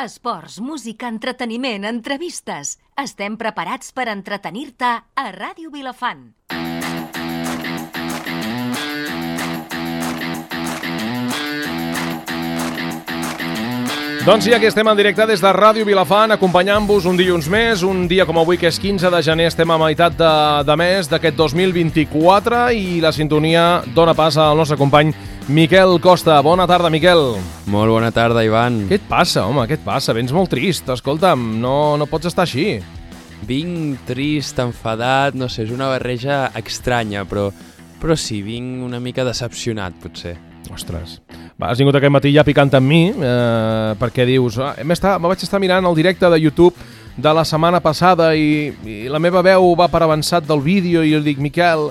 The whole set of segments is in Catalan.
Esports, música, entreteniment, entrevistes. Estem preparats per entretenir-te a Ràdio Vilafant. Doncs sí, aquí estem en directe des de Ràdio Vilafant, acompanyant-vos un dilluns més, un dia com avui que és 15 de gener, estem a meitat de mes d'aquest 2024 i la sintonia dona pas al nostre company Miquel Costa. Bona tarda, Miquel. Molt bona tarda, Ivan. Què et passa, home, què et passa? Vens molt trist, escolta'm, no pots estar així. Vinc trist, enfadat, no sé, és una barreja estranya, però sí, vinc una mica decepcionat, potser. Ostres, has vingut aquest matí ja picant amb mi, perquè dius, me vaig estar mirant el directe de YouTube de la setmana passada i la meva veu va per avançat del vídeo i jo dic, Miquel,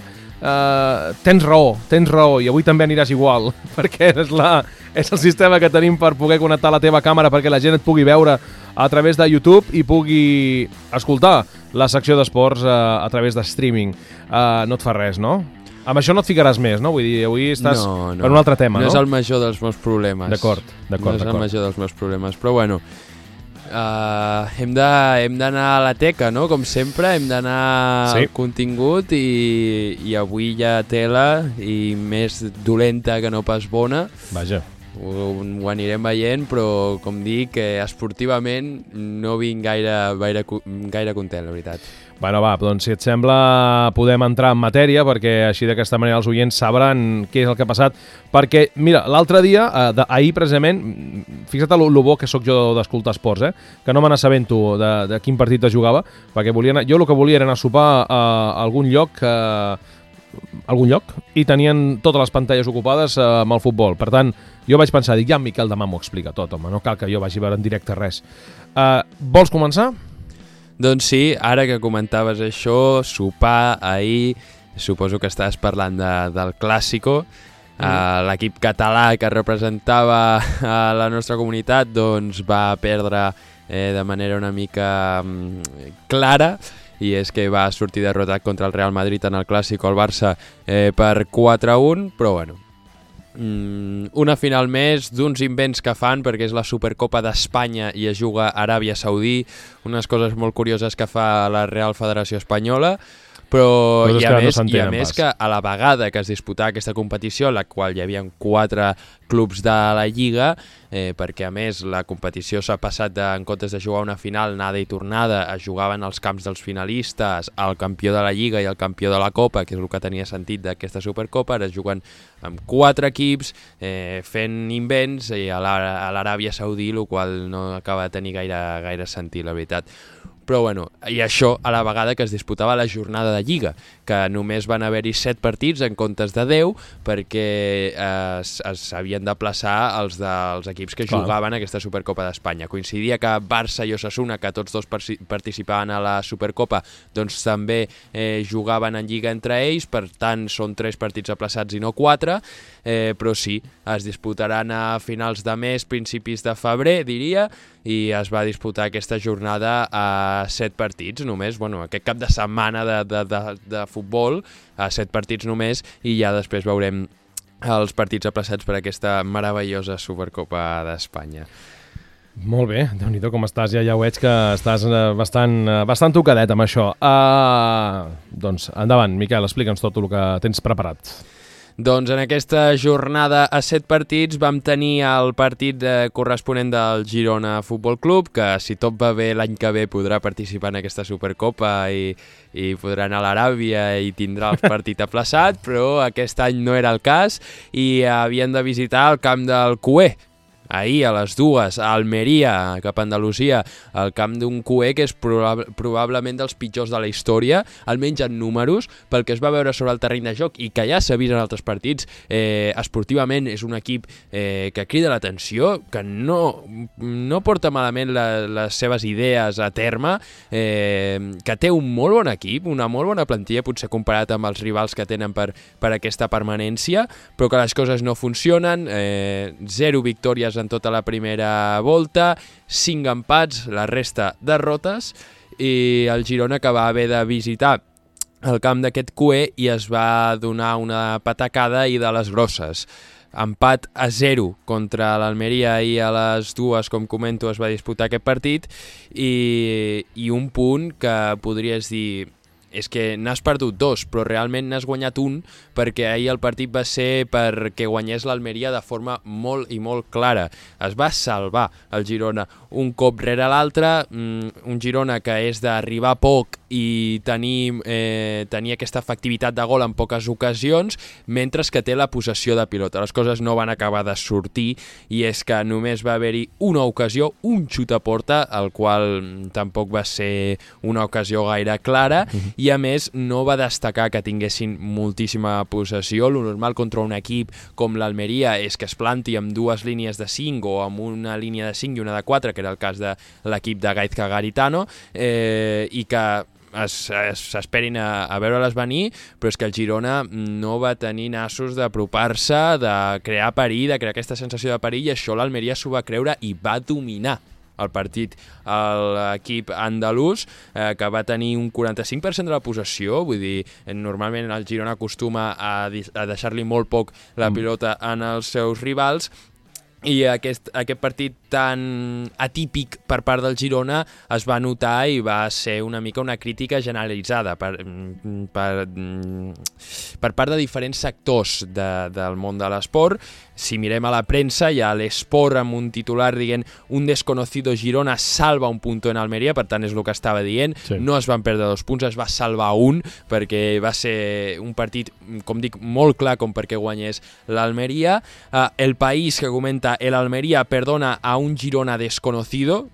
tens raó, i avui també aniràs igual, perquè és el sistema que tenim per poder connectar la teva càmera perquè la gent et pugui veure a través de YouTube i pugui escoltar la secció d'esports a través de streaming. No et fa res, no? Amb això no et ficaràs més, no? Vull dir, avui estàs per un altre tema, no? No és el major dels meus problemes. D'acord. No és el major dels meus problemes, però bueno, hem d'anar a la teca, no? Com sempre, hem d'anar al contingut i avui hi ha tela i més dolenta que no pas bona. Vaja. Ho anirem veient, però com dic, esportivament no vinc gaire content, la veritat. Bueno, va, doncs si et sembla podem entrar en matèria perquè així d'aquesta manera els oients sabran què és el que ha passat. Perquè, mira, l'altre dia, ahir precisament, fixa't lo bo que sóc jo d'escoltar esports, que no me n'assabento de quin partit es jugava, perquè jo el que volia era anar a sopar a algun lloc i tenien totes les pantalles ocupades amb el futbol. Per tant, jo vaig pensar, ja en Miquel demà m'ho explica tot, home, no cal que jo vagi a veure en directe res. Vols començar? Doncs sí, ara que comentaves això, sopar ahir, suposo que estàs parlant del Clàssico, l'equip català que representava a la nostra comunitat doncs va perdre de manera una mica clara, i és que va sortir derrotat contra el Real Madrid en el Clàssico, el Barça, per 4-1, però bueno, una final més d'uns invents que fan perquè és la Supercopa d'Espanya i es juga a Aràbia Saudí, unes coses molt curioses que fa la Real Federació Espanyola, però i a més que a la vegada que es disputava aquesta competició, en la qual hi havia 4 clubs de la Lliga, perquè a més la competició s'ha passat en comptes de jugar una final anada i tornada, es jugaven als camps dels finalistes, el campió de la Lliga i el campió de la Copa, que és el que tenia sentit d'aquesta Supercopa. Ara es juguen amb 4 equips fent invents a l'Aràbia Saudí, el qual no acaba de tenir gaire sentit, la veritat. Però bueno, i això a la vegada que es disputava la jornada de Lliga, que només van haver-hi 7 partits en comptes de 10 perquè s'havien de plaçar els dels equips que jugaven a aquesta Supercopa d'Espanya. Coincidia que Barça i Osasuna, que tots dos participaven a la Supercopa, doncs també jugaven en Lliga entre ells, per tant són 3 partits aplaçats i no 4, però sí, es disputaran a finals de mes, principis de febrer, diria, i es va disputar aquesta jornada a 7 partits només, bueno, aquest cap de setmana de futbol, a 7 partits només, i ja després veurem els partits aplaçats per aquesta meravellosa Supercopa d'Espanya. Molt bé, Déu-n'hi-do com estàs, ja ho veig que estàs bastant tocadet amb això. Doncs endavant, Miquel, explica'ns tot el que tens preparat. Doncs en aquesta jornada a 7 partits vam tenir el partit corresponent del Girona Futbol Club, que si tot va bé l'any que ve podrà participar en aquesta Supercopa i podrà anar a l'Aràbia i tindrà el partit aplaçat, però aquest any no era el cas i havien de visitar el camp del Cué. Ahir a les 2 a Almeria, cap a Andalusia, el camp d'un Cué que és probablement dels pitjors de la història, almenys en números, pel que es va veure sobre el terreny de joc i que ja s'ha vist en altres partits. Esportivament és un equip que crida l'atenció, que no porta malament les seves idees a terme, que té un molt bon equip, una molt bona plantilla, potser comparat amb els rivals que tenen per aquesta permanència, però que les coses no funcionen, 0 victòries en tota la primera volta, 5 empats, la resta derrotes, i el Girona que va haver de visitar el camp d'aquest Cué i es va donar una patacada i de les grosses. empat a 0 contra l'Almeria ahir a les 2, com comento, es va disputar aquest partit, i un punt que podries dir és que n'has perdut 2, però realment n'has guanyat un, perquè ahir el partit va ser perquè guanyés l'Almeria de forma molt i molt clara. Es va salvar el Girona un cop rere l'altre, un Girona que és d'arribar poc i tenir aquesta efectivitat de gol en poques ocasions, mentre que té la possessió de pilota. Les coses no van acabar de sortir, i és que només va haver-hi una ocasió, un xut a porta, el qual tampoc va ser una ocasió gaire clara, i a més no va destacar que tinguessin moltíssima possessió. Lo normal contra un equip com l'Almeria és que es planti amb 2 línies de 5 o amb una línia de 5 i una de 4, que era el cas de l'equip de Gaizka Garitano, i que s'esperin a veure-les venir, però és que el Girona no va tenir nassos d'apropar-se, de crear perill, de crear aquesta sensació de perill, i això l'Almeria s'ho va creure i va dominar el partit l'equip andalús, que va tenir un 45% de la possessió. Vull dir, normalment el Girona acostuma a deixar-li molt poc la pilota en els seus rivals, i aquest partit tan atípic per part del Girona es va notar i va ser una mica una crítica generalitzada per part de diferents sectors del món de l'esport. Si mirem a la premsa, hi ha l'Esport amb un titular dient un desconocido Girona salva un punto en Almeria, per tant és el que estava dient, sí. No es van perdre 2 punts, es va salvar un, perquè va ser un partit, com dic, molt clar com perquè guanyés l'Almeria. El País, que comenta, el Almeria perdona a un Girona desconocido,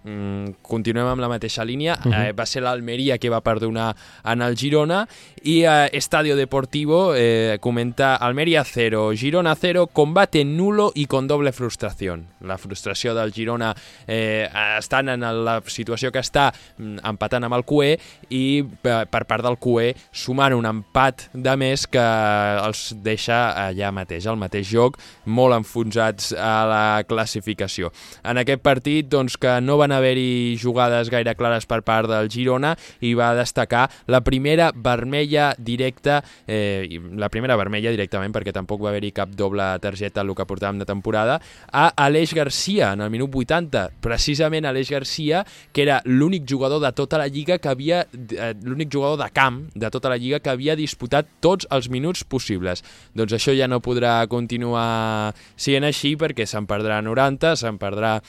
continuem amb la mateixa línia, va ser l'Almeria que va perdonar en el Girona, i Estadio Deportivo comenta Almeria 0, Girona 0, combate nulo i con doble frustració. La frustració del Girona estant en la situació que està, empatant amb el QE, i per part del QE sumant un empat de més que els deixa allà mateix, al mateix joc, molt enfonsats a la classificació. En aquest partit, doncs, que no van haver-hi jugades gaire clares per part del Girona, i va destacar la primera vermella directa, la primera vermella directament, perquè tampoc va haver-hi cap doble targeta el que portàvem de temporada, a Aleix Garcia en el minut 80, precisament Aleix Garcia, que era l'únic jugador de tota la lliga que havia, l'únic jugador de camp de tota la lliga que havia disputat tots els minuts possibles. Doncs això ja no podrà continuar sent així, perquè se'n perdrà 90, se'n perdrà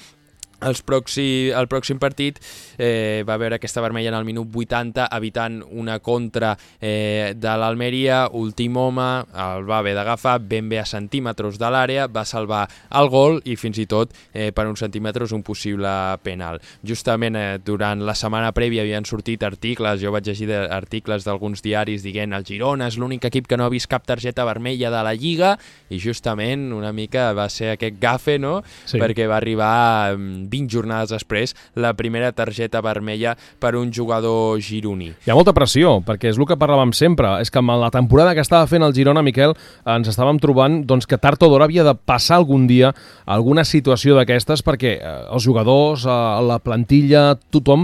el pròxim partit. Va haver aquesta vermella en el minut 80, evitant una contra de l'Almeria. Últim home, el va haver d'agafar ben bé a centímetres de l'àrea, va salvar el gol i fins i tot per uns centímetres un possible penal. Justament durant la setmana prèvia havien sortit articles, jo vaig llegir articles d'alguns diaris dient el Girona és l'únic equip que no ha vist cap targeta vermella de la Lliga, i justament una mica va ser aquest gafe, no? Sí. Perquè va arribar 20 jornades després la primera targeta vermella per un jugador gironí. Hi ha molta pressió, perquè és el que parlàvem sempre, és que amb la temporada que estava fent el Girona, Miquel, ens estàvem trobant doncs, que tard o d'hora havia de passar algun dia alguna situació d'aquestes, perquè els jugadors, la plantilla, tothom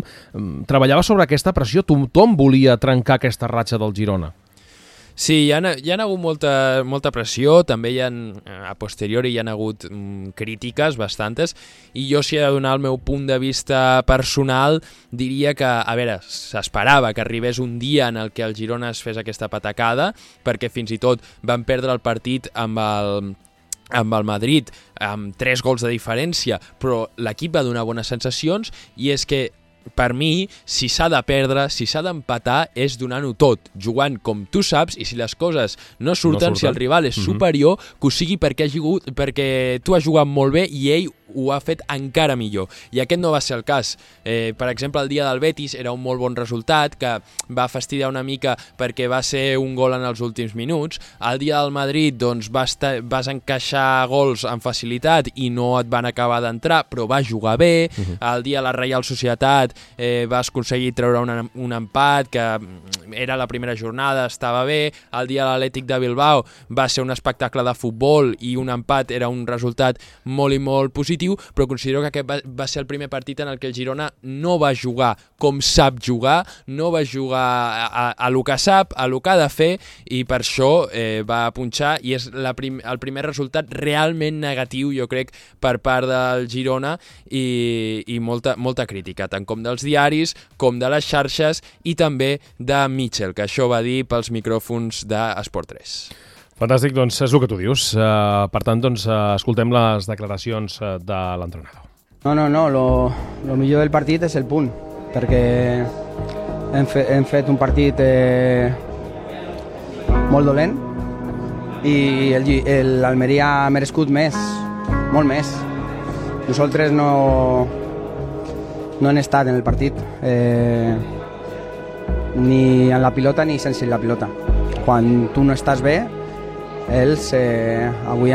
treballava sobre aquesta pressió, tothom volia trencar aquesta ratxa del Girona. Sí, hi ha hagut molta pressió, també a posteriori hi ha hagut crítiques bastantes, i jo, si he de donar el meu punt de vista personal, diria que, a veure, s'esperava que arribés un dia en el que el Girona es fes aquesta patacada, perquè fins i tot van perdre el partit amb el Madrid amb 3 gols de diferència, però l'equip va donar bones sensacions, i és que per mi, si s'ha de perdre, si s'ha d'empatar, és donant-ho tot, jugant com tu saps, i si les coses no surten, si el rival és superior, que ho sigui perquè tu has jugat molt bé i ell ho ha fet encara millor. I aquest no va ser el cas. Per exemple, el dia del Betis era un molt bon resultat, que va fastidiar una mica perquè va ser un gol en els últims minuts. El dia del Madrid doncs, vas encaixar gols amb facilitat i no et van acabar d'entrar, però va jugar bé. El dia de la Reial Societat vas aconseguir treure un empat, que era la primera jornada, estava bé. El dia de l'Atlètic de Bilbao va ser un espectacle de futbol i un empat era un resultat molt i molt positiu. positiu, però considero que aquest va ser el primer partit en el que el Girona no va jugar com sap jugar, no va jugar a lo que sap, a lo que ha de fer, i per això va punxar, i és el primer resultat realment negatiu, jo crec, per part del Girona, i molta crítica, tant com dels diaris, com de les xarxes, i també de Mitchell, que això va dir pels micròfons d'Esport 3. Fantàstic, doncs és el que tu dius. Per tant, doncs, escoltem les declaracions de l'entrenador. No, lo millor del partit és el punt, perquè hem fet un partit molt dolent i l'Almeria ha merescut més, molt més. Nosaltres no hem estat en el partit, ni en la pilota ni sense la pilota. Quan tu no estàs bé, ells avui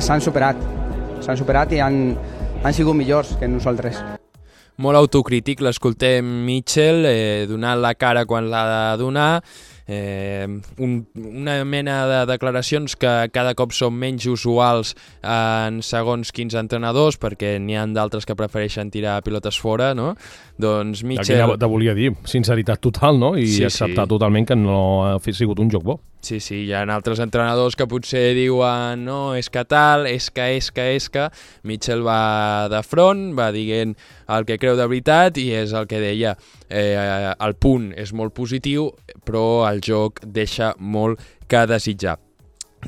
s'han superat i han sigut millors que nosaltres. Molt autocrític, l'escoltem Mitchell, donant la cara quan l'ha de donar, una mena de declaracions que cada cop són menys usuals en segons quins entrenadors, perquè n'hi ha d'altres que prefereixen tirar pilotes fora, no? Doncs Mitchell... Aquí te volia dir, sinceritat total, no? I acceptar totalment que no ha sigut un joc bo. Sí, hi ha altres entrenadors que potser diuen no, és que tal, és que... Mitchell va de front, va dient el que creu de veritat, i és el que deia. El punt és molt positiu, però el joc deixa molt que desitjar.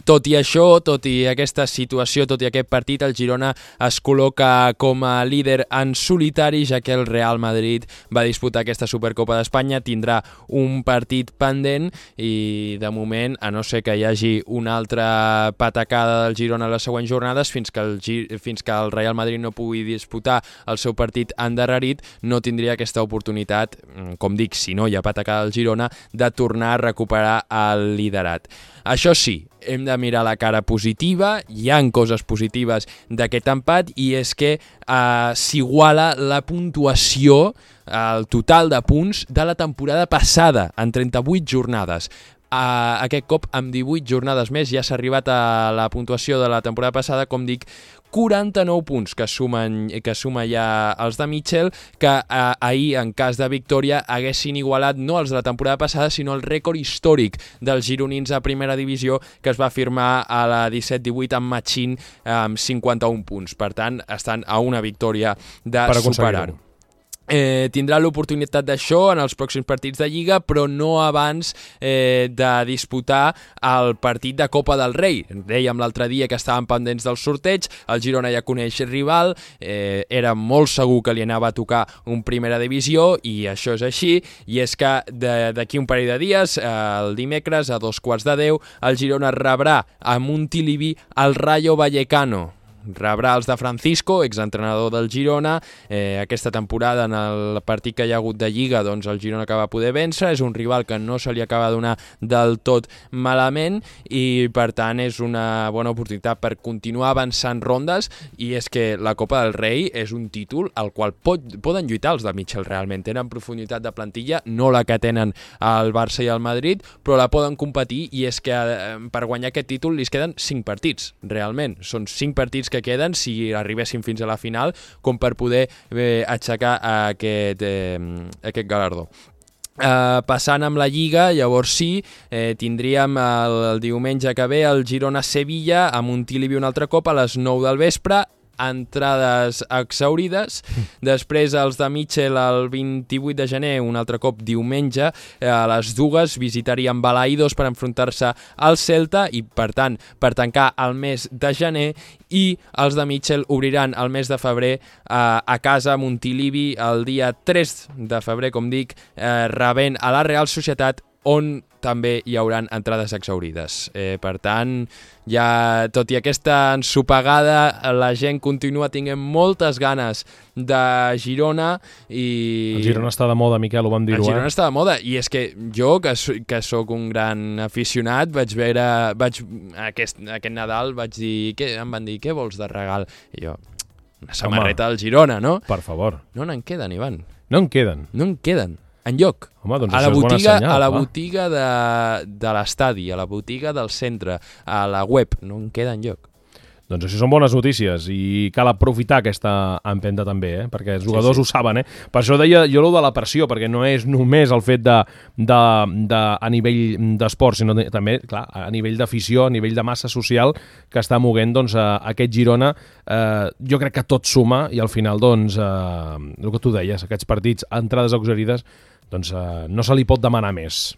Tot i això, tot i aquesta situació, tot i aquest partit, el Girona es col·loca com a líder en solitari, ja que el Real Madrid va disputar aquesta Supercopa d'Espanya, tindrà un partit pendent i, de moment, a no ser que hi hagi una altra patacada del Girona a les següents jornades, fins que el Real Madrid no pugui disputar el seu partit endarrerit, no tindria aquesta oportunitat, com dic, si no hi ha patacada del Girona, de tornar a recuperar el liderat. Això sí, hem de mirar la cara positiva, hi han coses positives d'aquest empat, i és que s'iguala la puntuació, el total de punts de la temporada passada, en 38 jornades. Aquest cop, amb 18 jornades més, ja s'ha arribat a la puntuació de la temporada passada, com dic, 49 punts que suma ja els de Mitchell, que ahir, en cas de victòria, haguessin igualat no els de la temporada passada, sinó el rècord històric dels gironins a primera divisió, que es va firmar a la 17-18 amb Machín, amb 51 punts. Per tant, estan a una victòria de superar-ho. Tindrà l'oportunitat d'això en els pròxims partits de Lliga, però no abans de disputar el partit de Copa del Rei. Dèiem l'altre dia que estaven pendents del sorteig, el Girona ja coneix rival, era molt segur que li anava a tocar un primera divisió, i això és així, i és que d'aquí un parell de dies, el dimecres a 9:15, el Girona rebrà a Montilivi el Rayo Vallecano. Rebrà els de Francisco, exentrenador del Girona. Aquesta temporada, en el partit que hi ha hagut de Lliga, doncs el Girona que va poder vèncer, és un rival que no se li acaba de donar del tot malament, i per tant és una bona oportunitat per continuar avançant rondes, i és que la Copa del Rei és un títol al qual poden lluitar els de Mitchell realment. Tenen profunditat de plantilla, no la que tenen el Barça i el Madrid, però la poden competir, i és que per guanyar aquest títol li queden 5 partits, realment. Són 5 partits que queden, si arribessin fins a la final, com per poder aixecar aquest galardó. Passant amb la Lliga, llavors sí, tindríem el diumenge que ve el Girona-Sevilla, a Montilivi un altre cop a les 9 del vespre, entrades exhaurides. Després els de Mitchell el 28 de gener, un altre cop diumenge, a les 2 visitarien Balaidos per enfrontar-se al Celta, i per tant, per tancar el mes de gener, i els de Mitchell obriran el mes de febrer a casa a Montilivi el dia 3 de febrer, com dic, rebent a la Real Societat, on també hi haurà entrades exhaurides. Per tant, ja, tot i aquesta ensopegada, la gent continua tenint moltes ganes de Girona, i... El Girona està de moda, Miquel, ho vam dir-ho. El Girona està de moda, i és que jo, que sóc un gran aficionat, aquest Nadal vaig dir, em van dir, què vols de regal? I jo, una samarreta del Girona, no? Per favor. No n'en queden, Ivan. No en queden? No en queden. Enlloc. Home, doncs això és bona senyal. A la botiga de l'estadi, a la botiga del centre, a la web, no en queda enlloc. Doncs això són bones notícies i cal aprofitar aquesta empenta també, perquè els jugadors ho saben. Per això deia jo de la pressió, perquè no és només el fet a nivell d'esport, sinó també, clar, a nivell d'afició, a nivell de massa social que està moguent aquest Girona. Jo crec que tot suma i al final, doncs, el que tu deies, aquests partits, entrades auxiliars, doncs no se li pot demanar més.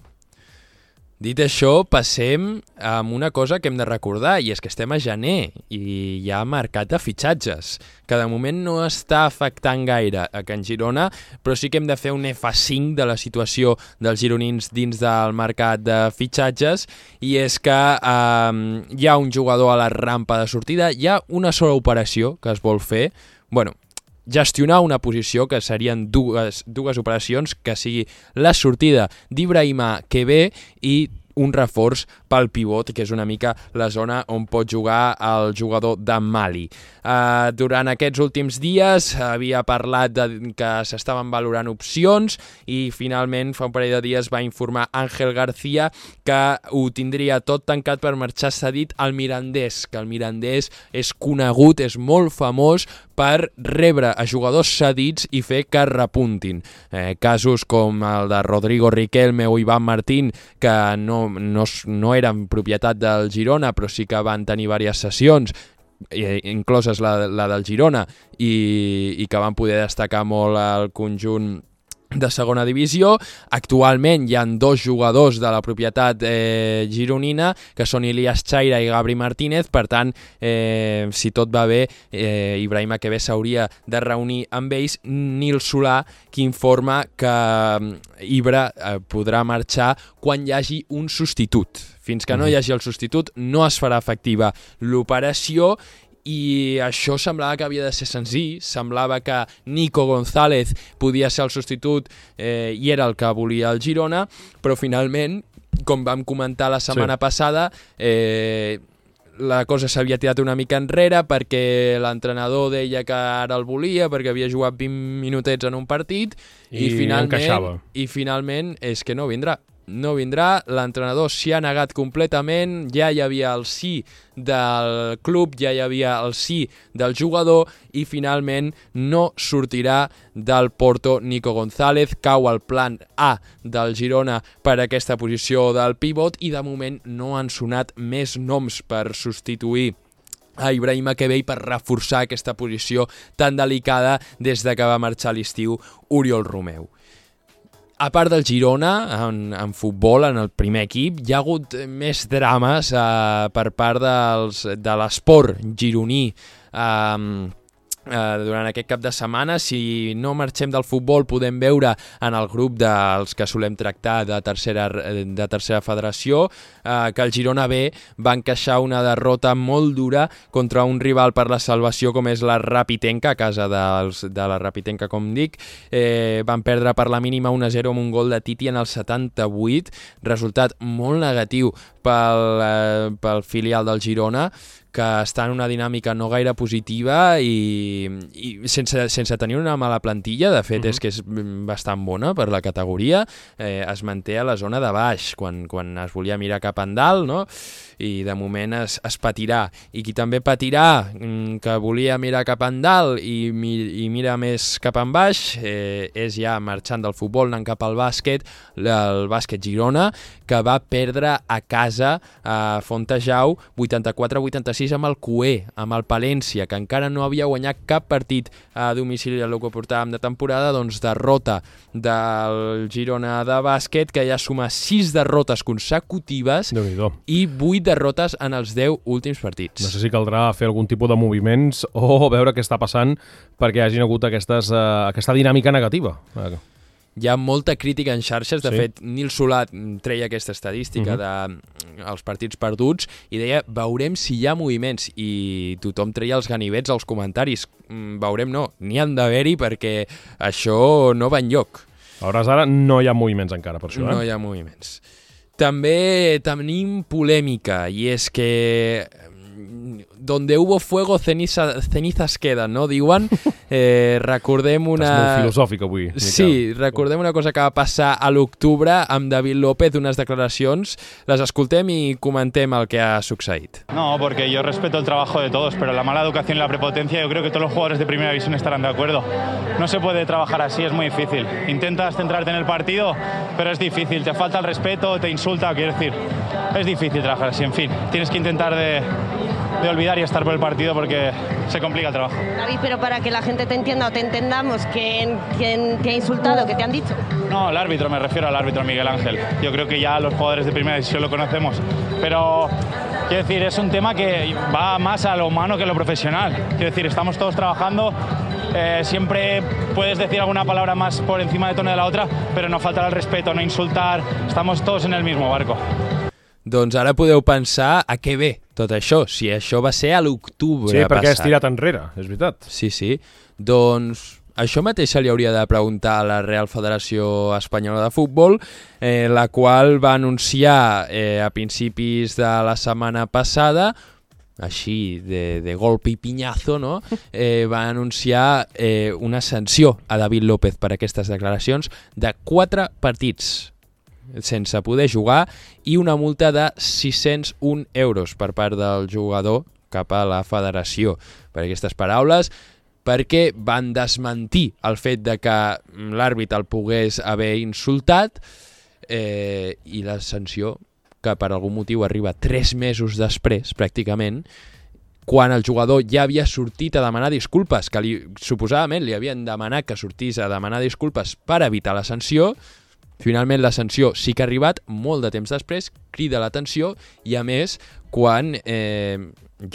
Dit això, passem amb una cosa que hem de recordar, i és que estem a gener i hi ha mercat de fitxatges, que de moment no està afectant gaire a Can Girona, però sí que hem de fer un F5 de la situació dels gironins dins del mercat de fitxatges, i és que hi ha un jugador a la rampa de sortida, hi ha una sola operació que es vol fer, gestionar una posició, que serien dues operacions, que sigui la sortida d'Ibrahima Kebe i un reforç pel pivot, que és una mica la zona on pot jugar el jugador de Mali. Durant aquests últims dies havia parlat que s'estaven valorant opcions i finalment fa un parell de dies va informar Ángel García que ho tindria tot tancat per marxar cedit al Mirandés, que el Mirandés és conegut, és molt famós per rebre a jugadors cedits i fer que repuntin. Casos com el de Rodrigo Riquelme o Iván Martín, que no eren propietat del Girona, però sí que van tenir diverses sessions, incloses la del Girona, i que van poder destacar molt al conjunt de segona divisió. Actualment hi ha 2 jugadors de la propietat gironina, que són Ilias Chaira i Gabri Martínez. Per tant, si tot va bé, Ibrahima Kebe s'hauria de reunir amb ells. Nil Solà, que informa que Ibra podrà marxar quan hi hagi un substitut. Fins que no hi hagi el substitut no es farà efectiva l'operació, i això semblava que havia de ser senzill, semblava que Nico González podia ser el substitut i era el que volia el Girona, però finalment, com vam comentar la setmana passada, la cosa s'havia tirat una mica enrere perquè l'entrenador deia que ara el volia perquè havia jugat 20 minutets en un partit i finalment és que no vindrà. No vindrà, l'entrenador s'hi ha negat completament, ja hi havia el sí del club, ja hi havia el sí del jugador i finalment no sortirà del Porto Nico González, cau el plan A del Girona per aquesta posició del pivot i de moment no han sonat més noms per substituir a Ibrahima Kebe i per reforçar aquesta posició tan delicada des de que va marxar a l'estiu Oriol Romeu. A part del Girona, en futbol, en el primer equip, hi ha hagut més drames per part de l'esport gironí durant aquest cap de setmana. Si no marxem del futbol, podem veure en el grup dels que solem tractar de tercera federació que el Girona B va encaixar una derrota molt dura contra un rival per la salvació com és la Rapitenca, a casa de la Rapitenca, com dic. Van perdre per la mínima 1-0 amb un gol de Titi en el 78, resultat molt negatiu pel filial del Girona, que està en una dinàmica no gaire positiva i sense tenir una mala plantilla. De fet, és que és bastant bona per la categoria. Es manté a la zona de baix quan es volia mirar cap endalt, no? I de moment es patirà. I qui també patirà, que volia mirar cap endalt i mira més cap en baix, és ja marxant del futbol, anant cap al bàsquet, el bàsquet Girona, que va perdre a casa a Fontejau 84-86 amb el Cué, amb el Palència, que encara no havia guanyat cap partit a domicili del que portàvem de temporada. Doncs derrota del Girona de bàsquet, que ja suma 6 derrotes consecutives i 8 derrotes en els 10 últims partits. No sé si caldrà fer algun tipus de moviments o veure què està passant perquè hagin hagut aquesta dinàmica negativa. Hi ha molta crítica en xarxes. De fet, Nil Solà treia aquesta estadística dels partits perduts i deia, veurem si hi ha moviments, i tothom treia els ganivets als comentaris. Veurem no, n'hi han d'haver-hi perquè això no va enlloc. A hores d'ara no hi ha moviments encara per això, No hi ha moviments. També tenim polèmica, i és que donde hubo fuego, cenizas queden, no? Diuen. Recordem una... Estàs molt filosòfic avui, Miquel. Sí, recordem una cosa que va passar a l'octubre amb David López, unes declaracions. Les escoltem i comentem el que ha succeït. No, porque yo respeto el trabajo de todos, pero la mala educación y la prepotencia, yo creo que todos los jugadores de Primera División estarán de acuerdo. No se puede trabajar así, es muy difícil. Intentas centrarte en el partido, pero es difícil. Te falta el respeto, te insulta, quiero decir, es difícil trabajar así. En fin, tienes que intentar de olvidar y estar por el partido porque se complica el trabajo. David, pero para que la gente te entienda o te entendamos, ¿quién te ha insultado? ¿Qué te han dicho? No, el árbitro, me refiero al árbitro Miguel Ángel. Yo creo que ya los jugadores de Primera División lo conocemos, pero quiero decir, es un tema que va más a lo humano que a lo profesional. Quiero decir, estamos todos trabajando, siempre puedes decir alguna palabra más por encima de tono de la otra, pero no faltar al respeto, no insultar, estamos todos en el mismo barco. Doncs ara podeu pensar a què ve tot això, si això va ser a l'octubre passat. Sí, perquè has tirat enrere, és veritat. Sí. Doncs això mateix se li hauria de preguntar a la Real Federació Espanyola de Futbol, la qual va anunciar a principis de la setmana passada, així de golpe i pinyazo, no? Va anunciar una sanció a David López per aquestes declaracions de 4 partits sense poder jugar i una multa de 601 euros per part del jugador cap a la federació per aquestes paraules, perquè van desmentir el fet de que l'àrbit el pogués haver insultat i la sanció, que per algun motiu arriba 3 mesos després, pràcticament, quan el jugador ja havia sortit a demanar disculpes, que suposadament li havien demanat que sortís a demanar disculpes per evitar la sanció. Finalment la sanció sí que ha arribat molt de temps després, crida l'atenció i a més quan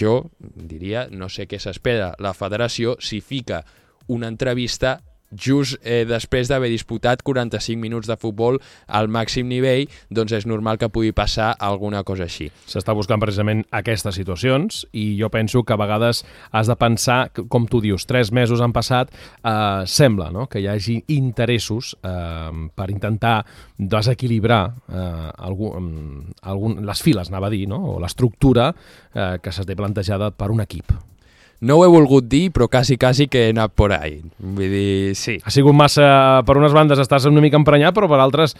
jo diria, no sé què s'espera la federació si fica una entrevista just després d'haver disputat 45 minuts de futbol al màxim nivell, doncs és normal que pugui passar alguna cosa així. S'està buscant precisament aquestes situacions i jo penso que a vegades has de pensar, com tu dius, 3 mesos han passat, sembla, no?, que hi hagi interessos per intentar desequilibrar les files, anava a dir, no?, o l'estructura que s'ha plantejada per un equip. No ho he volgut dir, però quasi que he anat por ahí. Vull dir, sí. Ha sigut massa... Per unes bandes estàs una mica emprenyat, però per altres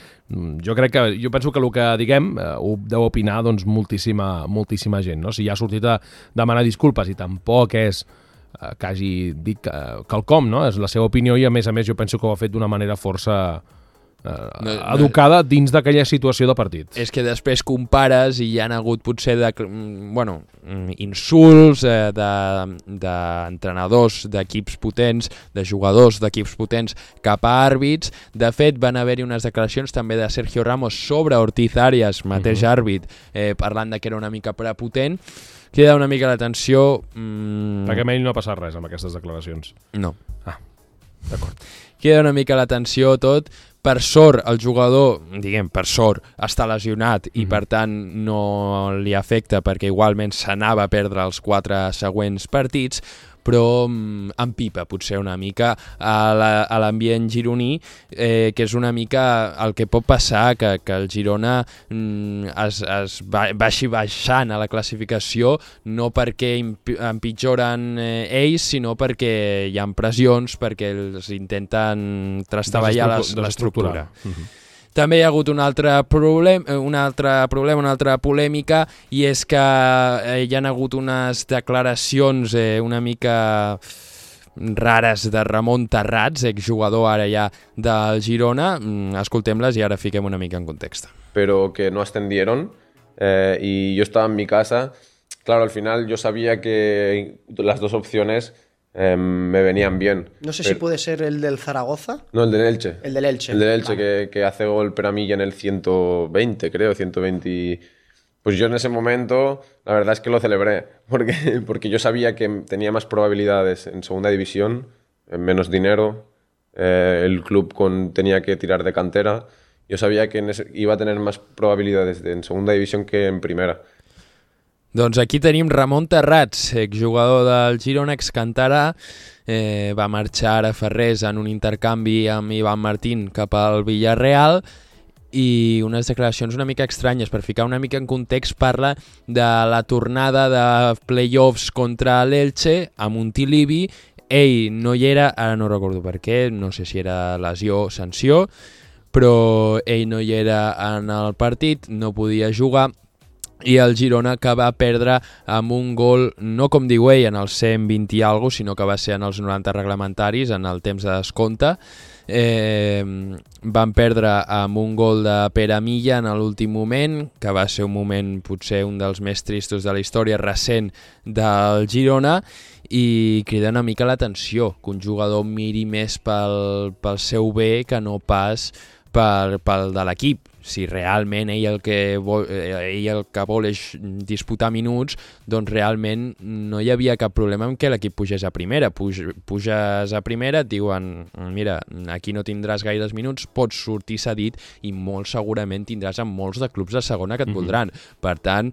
jo penso que el que diguem ho deu opinar doncs, moltíssima gent. No? Si ja ha sortit a demanar disculpes i tampoc és que hagi dit quelcom, no? És la seva opinió i a més jo penso que ho ha fet d'una manera força educada dins d'aquella situació de partit. És que després compares i hi ha hagut potser insults d'entrenadors d'equips potents, de jugadors d'equips potents cap a àrbits. De fet, van haver-hi unes declaracions també de Sergio Ramos sobre Ortiz Arias, mateix àrbit, parlant de que era una mica prepotent. Queda una mica l'atenció... Perquè a ell no ha passat res amb aquestes declaracions. No. Ah, d'acord. Queda una mica l'atenció tot. Per sort, el jugador, per sort, està lesionat i per tant no li afecta perquè igualment s'anava a perdre els 4 següents partits, però empipa potser una mica a l'ambient gironí, que és una mica el que pot passar, que el Girona es vagi baixant a la classificació, no perquè empitjoren ells, sinó perquè hi ha pressions, perquè els intenten trastaballar l'estructura. També hi ha hagut un altre problema, una altra polèmica, i és que hi ha hagut unes declaracions una mica rares de Ramon Terrats, exjugador ara ja del Girona. Escoltem-les i ara fiquem una mica en context. Pero que no ascendieron y yo estaba en mi casa. Claro, al final yo sabía que las dos opciones me venían bien. No sé si puede ser el del Zaragoza. No, el del Elche. El del Elche. El del Elche, vale. que hace gol Peramilla en el 120, creo, 120. Pues yo en ese momento, la verdad es que lo celebré, porque yo sabía que tenía más probabilidades en segunda división, menos dinero, el club tenía que tirar de cantera. Yo sabía que iba a tener más probabilidades en segunda división que en primera. Doncs aquí tenim Ramon Terrats, exjugador del Girona, excantarà, va marxar a Ferrés en un intercanvi amb Ivan Martín cap al Villarreal i unes declaracions una mica estranyes. Per ficar una mica en context, parla de la tornada de playoffs contra l'Elche a Montilivi. Ell no hi era, ara no recordo per què, no sé si era lesió o sanció, però ell no hi era en el partit, no podia jugar, i el Girona que va perdre amb un gol, no com diu ell, en els 120 i alguna cosa, sinó que va ser en els 90 reglamentaris, en el temps de descompte. Van perdre amb un gol de Pere Milla en l'últim moment, que va ser un moment potser un dels més tristos de la història recent del Girona, i crida una mica l'atenció que un jugador miri més pel seu bé que no pas pel de l'equip. Si realment ell el que vol és disputar minuts, doncs realment no hi havia cap problema en què l'equip pugés a primera. Puges a primera, et diuen, mira, aquí no tindràs gaires minuts, pots sortir cedit i molt segurament tindràs en molts de clubs de segona que et voldran. Per tant,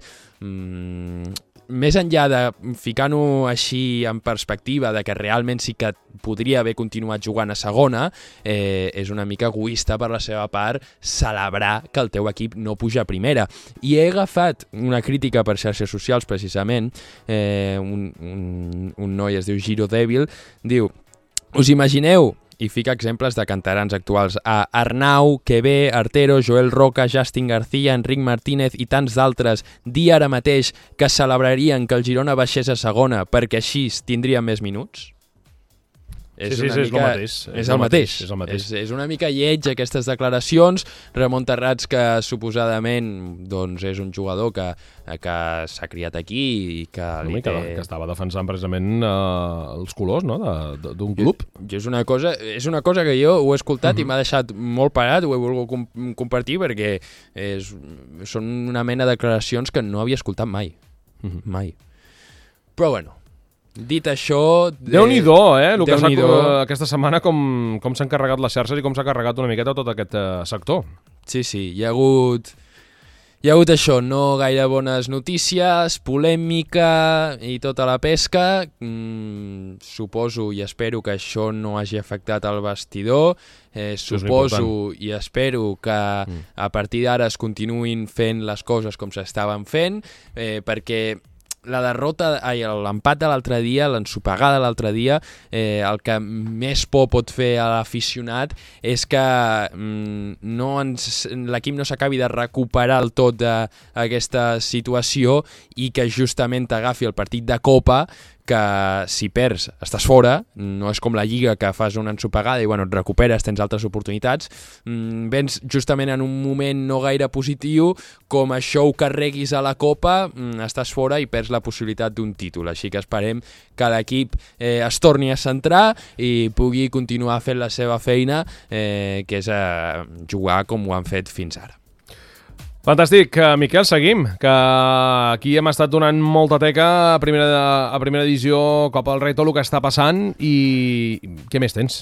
més enllà de ficar-ho així en perspectiva de que realment sí que podria haver continuat jugant a segona, és una mica egoista per la seva part celebrar que el teu equip no puja a primera. I he agafat una crítica per xarxes socials, precisament, un noi es diu Giro Dèbil, diu, us imagineu, i fica exemples de cantarans actuals, a Arnau, Quevé, Artero, Joel Roca, Justin García, Enric Martínez i tants d'altres dir ara mateix que celebrarien que el Girona baixés a segona perquè així tindria més minuts? És el mateix. És el mateix. És una mica lleig aquestes declaracions. Ramon Terrats, que suposadament doncs, és un jugador que s'ha criat aquí i que que estava defensant precisament els colors, no?, d'un club. És una cosa que jo ho he escoltat i m'ha deixat molt parat, ho he volgut compartir perquè són una mena de declaracions que no havia escoltat mai. Mai. Però bueno, dit això... Déu-n'hi-do, el que aquesta setmana com s'han carregat les xarxes i com s'ha carregat una miqueta tot aquest sector. Sí, hi ha hagut això, no gaire bones notícies, polèmica i tota la pesca. Suposo i espero que això no hagi afectat el vestidor. Suposo i espero que a partir d'ara es continuïn fent les coses com s'estaven fent, perquè l'empat de l'altre dia, l'ensopegada de l'altre dia, el que més por pot fer a l'aficionat és que l'equip no s'acabi de recuperar del tot d'aquesta situació i que justament t'agafi el partit de Copa, que si perds estàs fora, no és com la Lliga que fas una ensopegada i et recuperes, tens altres oportunitats. Vens justament en un moment no gaire positiu, com això ho carreguis a la Copa, estàs fora i perds la possibilitat d'un títol. Així que esperem que l'equip es torni a centrar i pugui continuar fent la seva feina, que és jugar com ho han fet fins ara. Fantàstic. Miquel, seguim, que aquí hem estat donant molta teca a primera divisió, Copa del Rei, tot el que està passant, i què més tens?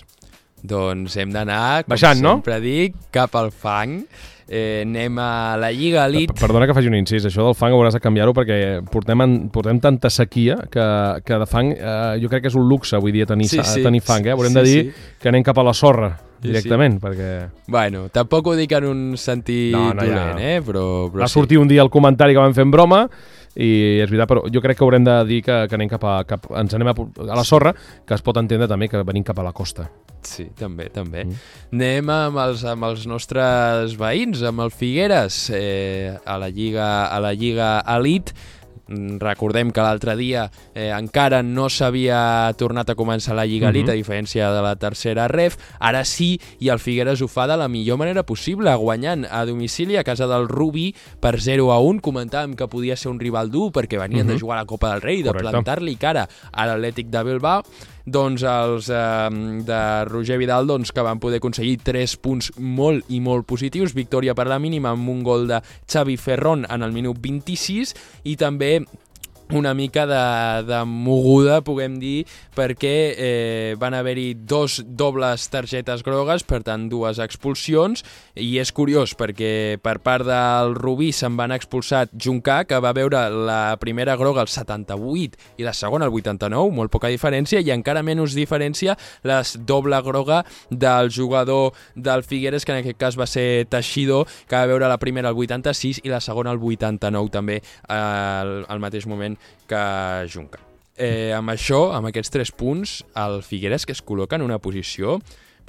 Doncs hem d'anar, com baixant, sempre dic, cap al fang. Anem a la Lliga Elite. Perdona que faci un incís, això del fang hauràs de canviar-ho perquè portem tanta sequia que de fang jo crec que és un luxe avui dia tenir fang. Haurem de dir que anem cap a la sorra directament, perquè... Bueno, tampoc ho dic en un sentit dolent, però va sortir un dia el comentari que vam fer en broma i és veritat, però jo crec que haurem de dir que anem ens anem a la sorra, que es pot entendre també que venim cap a la costa. Sí, també. Anem amb els nostres veïns, amb el Figueres, a la Lliga Elite. Recordem que l'altre dia encara no s'havia tornat a començar la Lliga Elite, a diferència de la tercera ref. Ara sí, i el Figueres ho fa de la millor manera possible, guanyant a domicili a casa del Rubí per 0-1. Comentàvem que podia ser un rival dur perquè venien de jugar a la Copa del Rei, de plantar-li cara a l'Atlètic de Bilbao. Doncs els de Roger Vidal, que van poder aconseguir 3 punts molt i molt positius, victòria per la mínima amb un gol de Xavi Ferrón en el minut 26 i també una mica de moguda, puguem dir, perquè van haver-hi 2 dobles targetes grogues, per tant 2 expulsions, i és curiós perquè per part del Rubí se'n van expulsat Juncà, que va veure la primera groga al 78 i la segona al 89, molt poca diferència, i encara menys diferència la doble groga del jugador del Figueres, que en aquest cas va ser Teixidor, que va veure la primera al 86 i la segona al 89 també, al mateix moment que Juncà. Amb això, amb aquests 3 punts, el Figueres que es col·loca en una posició,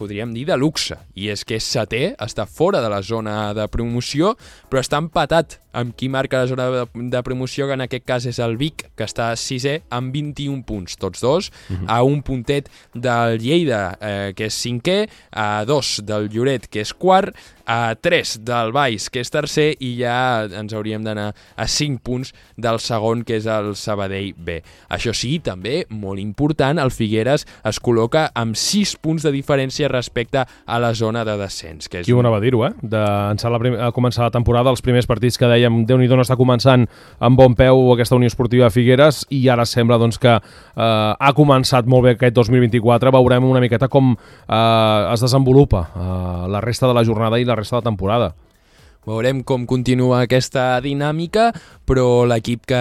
podríem dir, de luxe, i és que és setè, està fora de la zona de promoció, però està empatat amb qui marca la zona de promoció, que en aquest cas és el Vic, que està 6è amb 21 punts, tots dos, a un puntet del Lleida, que és 5è, a 2 del Lloret, que és 4, a 3 del Valls, que és 3è, i ja ens hauríem d'anar a 5 punts del segon, que és el Sabadell B. Això sí, també, molt important, el Figueres es col·loca amb 6 punts de diferència respecte a la zona de descens. Que és Qui ho anava a dir-ho, a començar la temporada, els primers partits que dèiem, Déu-n'hi-do, no està començant amb bon peu aquesta Unió Esportiva Figueres, i ara sembla doncs, que ha començat molt bé aquest 2024. Veurem una miqueta com es desenvolupa la resta de la jornada i la resta de la temporada. Veurem com continua aquesta dinàmica, però l'equip que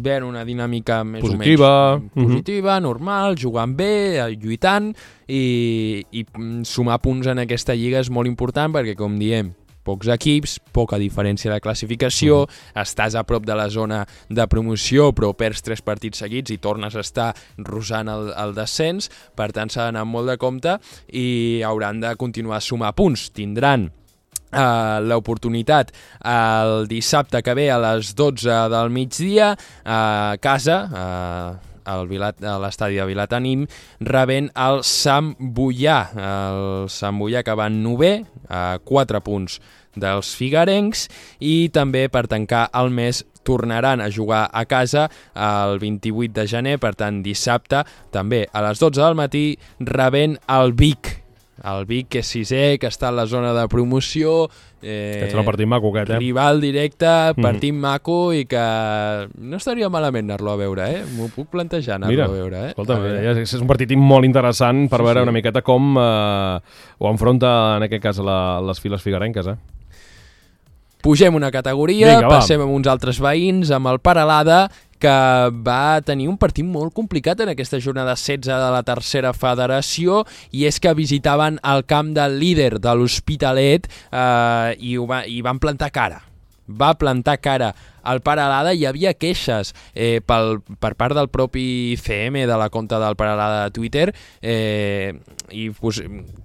ve en una dinàmica més positiva, o menys positiva, normal, jugant bé, lluitant, i sumar punts en aquesta lliga és molt important perquè, com diem, pocs equips, poca diferència de classificació, estàs a prop de la zona de promoció, però perds 3 partits seguits i tornes a estar rosant el descens, per tant s'ha d'anar amb molt de compte i hauran de continuar a sumar punts. Tindran l'oportunitat el dissabte que ve a les 12 del migdia a casa, a l'estadi de Vilatenim, rebent el Sant Boià. El Sant Boià que va en 9è, a 4 punts dels figuerencs, i també per tancar el mes tornaran a jugar a casa el 28 de gener, per tant dissabte, també a les 12 del matí, rebent el Vic. El Vic, que és 6è, que està en la zona de promoció, Aquest serà un partit maco, aquest, rival directe, partit maco, i que no estaria malament anar-lo a veure, m'ho puc plantejar anar-lo a veure. Escolta, és un partit molt interessant per veure una miqueta com ho enfronta, en aquest cas, les files figuerenques. Pugem una categoria, passem amb uns altres veïns, amb el Peralada, que va tenir un partit molt complicat en aquesta jornada 16 de la tercera federació, i és que visitaven el camp del líder de l'Hospitalet i van plantar cara. Va plantar cara al Peralada. Hi havia queixes per part del propi CM de la compte del Peralada de Twitter, i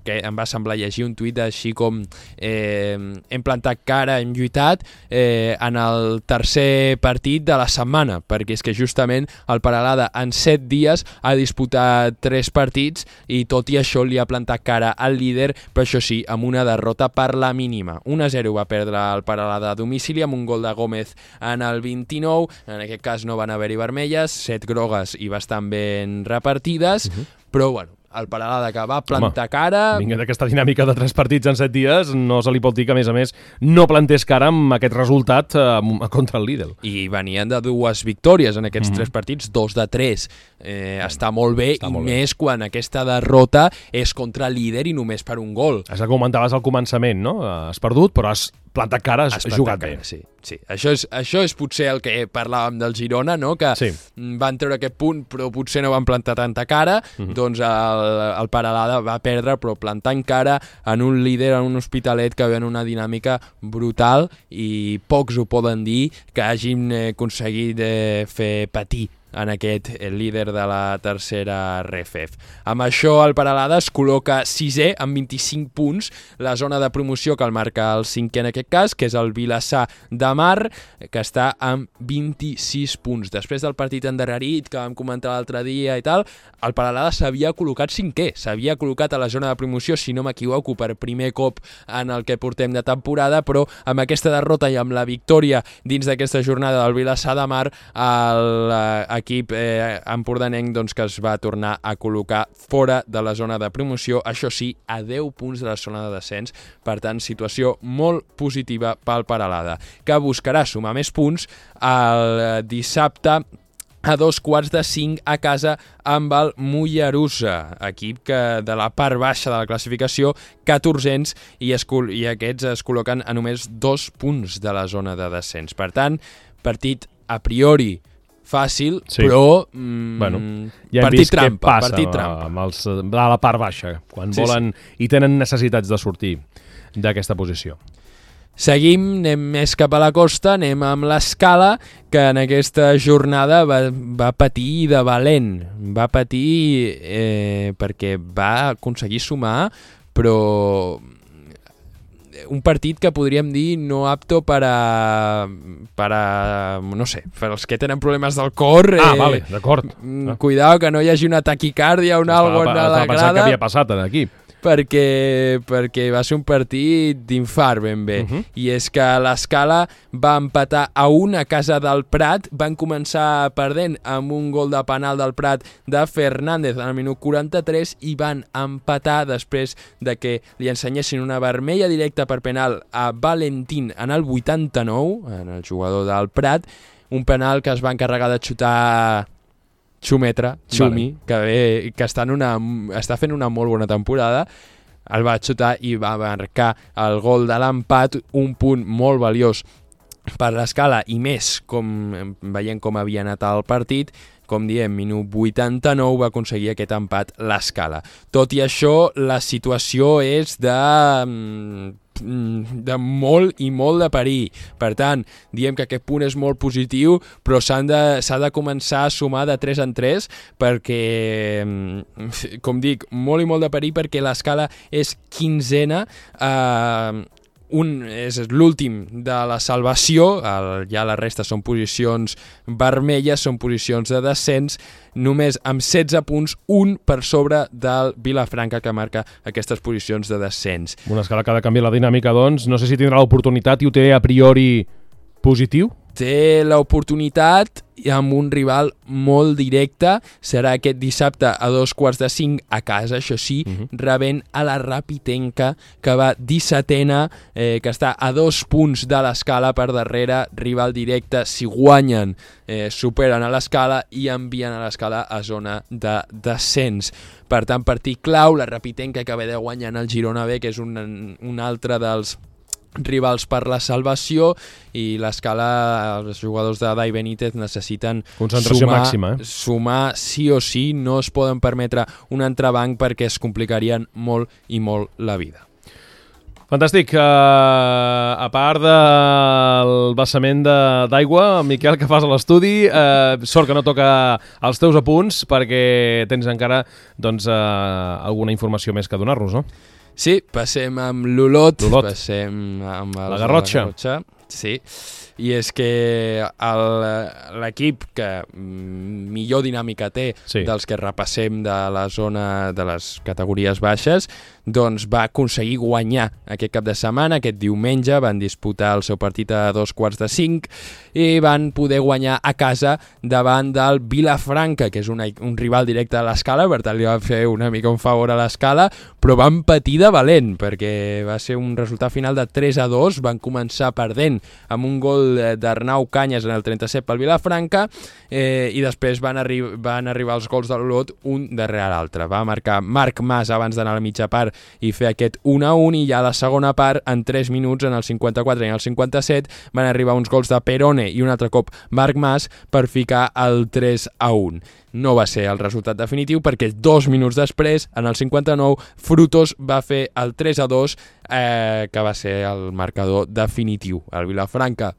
que em va semblar llegir un tuit així com hem plantat cara, hem lluitat en el tercer partit de la setmana, perquè és que justament el Peralada en 7 dies ha disputat 3 partits i tot i això li ha plantat cara al líder, però això sí, amb una derrota per la mínima. 1-0 va perdre el Peralada a domicili amb un gol de Gómez en el 29, en aquest cas no van haver-hi vermelles, 7 grogues i bastant ben repartides, però bueno, el Peralada que va plantar cara... Vinga, d'aquesta dinàmica de 3 partits en 7 dies, no se li pot dir que, a més, no plantés cara amb aquest resultat contra el líder. I venien de 2 victòries en aquests 3 partits, 2 de 3. Està molt bé, més quan aquesta derrota és contra el líder i només per un gol. És el que comentaves al començament, no? Has perdut, però has plantat cara, has jugat bé. Sí. Això és potser el que parlàvem del Girona, no? Que van treure aquest punt, però potser no van plantar tanta cara. Doncs el Peralada va perdre, però plantant cara en un líder, en un Hospitalet que ve en una dinàmica brutal, i pocs ho poden dir que hagin aconseguit fer patir en aquest líder de la tercera RFF. Amb això el Peralada es col·loca 6è amb 25 punts, la zona de promoció que el marca el 5è en aquest cas, que és el Vilassar de Mar, que està amb 26 punts. Després del partit endarrerit que vam comentar l'altre dia i tal, el Peralada s'havia col·locat 5è, s'havia col·locat a la zona de promoció, si no m'equivoco, per primer cop en el que portem de temporada, però amb aquesta derrota i amb la victòria dins d'aquesta jornada del Vilassar de Mar, l'equip empordanenc doncs, que es va tornar a col·locar fora de la zona de promoció, això sí, a 10 punts de la zona de descens. Per tant, situació molt positiva pel Peralada, que buscarà sumar més punts el dissabte a 4:45 a casa amb el Mollerussa, equip que de la part baixa de la classificació, 14ens, i aquests es col·loquen a només 2 punts de la zona de descens. Per tant, partit a priori fàcil, sí. Però ja partit trampa. Què passa amb els de la part baixa, quan volen i tenen necessitats de sortir d'aquesta posició. Seguim, anem més cap a la costa, anem amb l'Escala, que en aquesta jornada va patir de valent. Va patir perquè va aconseguir sumar, però un partit que podríem dir no apto per a no sé, per als que tenen problemes del cor. Vale, d'acord. Cuidao que no hi hagi una taquicàrdia o algo en la grada. Estava pensant que havia passat aquí. Perquè va ser un partit d'infart ben bé. I és que l'Escala va empatar a 1 a casa del Prat, van començar perdent amb un gol de penal del Prat de Fernández en el minut 43 i van empatar després de que li ensenyessin una vermella directa per penal a Valentín en el 89, en el jugador del Prat, un penal que es va encarregar de xutar Xumi, que està fent una molt bona temporada, el va xutar i va marcar el gol de l'empat, un punt molt valiós per l'Escala i més veient com havia anat el partit. Com diem, minut 89 va aconseguir aquest empat l'Escala. Tot i això, la situació és de molt i molt de perill. Per tant, diem que aquest punt és molt positiu, però s'ha de començar a sumar de 3 en 3 perquè, com dic, molt i molt de perill perquè l'Escala és 15ena, és l'últim de la salvació, ja la resta són posicions vermelles, són posicions de descens, només amb 16 punts, un per sobre del Vilafranca, que marca aquestes posicions de descens. Una Escala que ha de canviar la dinàmica, doncs, no sé si tindrà l'oportunitat i ho té a priori positiu? Té l'oportunitat amb un rival molt directe, serà aquest dissabte a 4:45 a casa, això sí, rebent a la Rapitenca, que va 17ena, que està a 2 punts de l'Escala per darrere, rival directe. Si guanyen, superen a l'Escala i envien a l'Escala a zona de descens. Per tant, partit clau, la Rapitenca que ve de guanyar el Girona B, que és un altre dels rivals per la salvació, i l'Escala, els jugadors de Dai Benítez necessiten concentració màxima, sumar sí o sí, no es poden permetre un entrebanc perquè es complicarien molt i molt la vida. Fantàstic. A part del vessament d'aigua, Miquel, que fas a l'estudi, sort que no toca els teus apunts perquè tens encara alguna informació més que donar-nos, no? Sí, passem amb l'Olot, passem amb la Garrotxa. Sí, i és que l'equip que millor dinàmica té dels que repassem de la zona de les categories baixes, doncs va aconseguir guanyar aquest cap de setmana, aquest diumenge, van disputar el seu partit a 4:45 i van poder guanyar a casa davant del Vilafranca, que és un rival directe a l'Escala, per tant li va fer una mica un favor a l'Escala, però van patir de valent, perquè va ser un resultat final de 3-2, van començar perdent amb un gol d'Arnau Canyes en el 37 pel Vilafranca, i després van arribar els gols de l'Olot un darrere l'altre. Va marcar Marc Mas abans d'anar a la mitja part i fer aquest 1-1, i ja a la segona part, en 3 minuts, en el 54 i en el 57, van arribar uns gols de Perone i un altre cop Marc Mas per ficar el 3-1. No va ser el resultat definitiu perquè 2 minuts després, en el 59, Frutos va fer el 3-2, que va ser el marcador definitiu. El Vilafranca,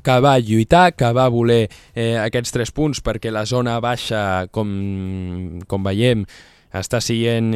que va lluitar, que va voler aquests 3 punts perquè la zona baixa, com veiem, està sent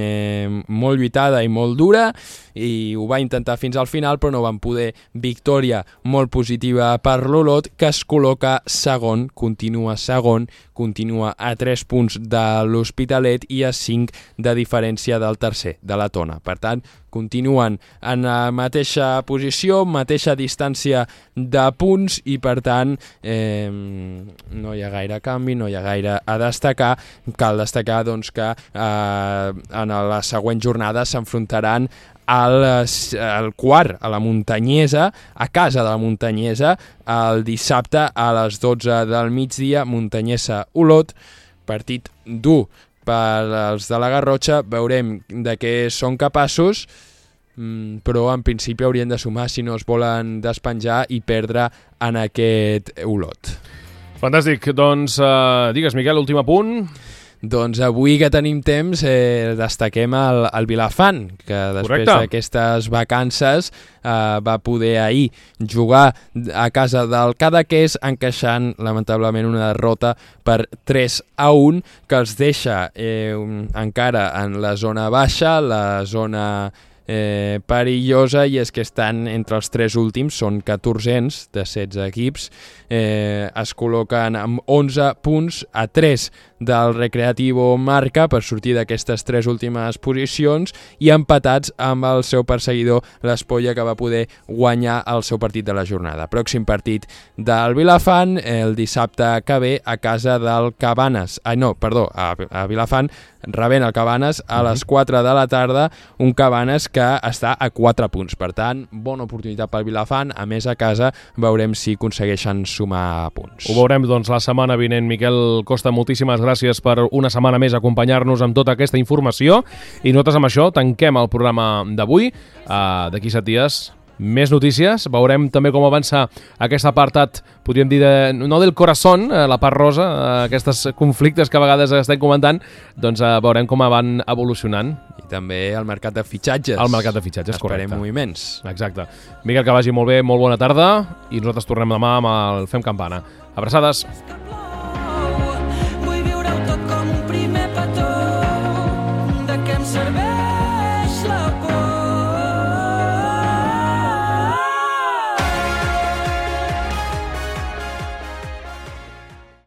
molt lluitada i molt dura, i ho va intentar fins al final, però no van poder. Victòria molt positiva per l'Olot, que es col·loca segon, continua segon, continua a 3 punts de l'Hospitalet i a 5 de diferència del tercer, de la Tona. Per tant, continuen en la mateixa posició, mateixa distància de punts i, per tant, no hi ha gaire canvi, no hi ha gaire a destacar. Cal destacar doncs, que en la següent jornada s'enfrontaran al quart, a la Muntanyesa, a casa de la Muntanyesa, el dissabte a les 12 del migdia, Muntanyesa-Olot, partit dur per als de la Garrotxa. Veurem de què són capaços, però en principi haurien de sumar si no es volen despenjar i perdre en aquest Olot. Fantàstic, doncs digues, Miquel, últim apunt. Doncs avui que tenim temps destaquem el Vilafant, que després d'aquestes vacances va poder ahir jugar a casa del Cadaqués, encaixant lamentablement una derrota per 3-1, que els deixa encara en la zona baixa, la zona perillosa, i és que estan entre els 3 últims, són 14ens de 16 equips, es col·loquen amb 11 punts a 3 del Recreativo Marca per sortir d'aquestes 3 últimes posicions, i empatats amb el seu perseguidor, l'Espolla, que va poder guanyar el seu partit de la jornada. Pròxim partit del Vilafant el dissabte que ve a casa del Cabanes, a Vilafant, rebent el Cabanes a les 4 de la tarda, un Cabanes que està a 4 punts. Per tant, bona oportunitat pel Vilafant, a més a casa veurem si aconsegueixen sumar punts. Ho veurem doncs la setmana vinent. Miquel Costa, moltíssimes gràcies per una setmana més acompanyar-nos amb tota aquesta informació, i nosaltres amb això tanquem el programa d'avui. D'aquí 7 dies més notícies, veurem també com avança aquest apartat, podríem dir, no del corazón, la part rosa, aquests conflictes que a vegades estem comentant, doncs veurem com van evolucionant. I també el mercat de fitxatges. El mercat de fitxatges, correcte. Esperem moviments. Exacte. Miquel, que vagi molt bé, molt bona tarda, i nosaltres tornem demà amb el Fem Campana. Abraçades.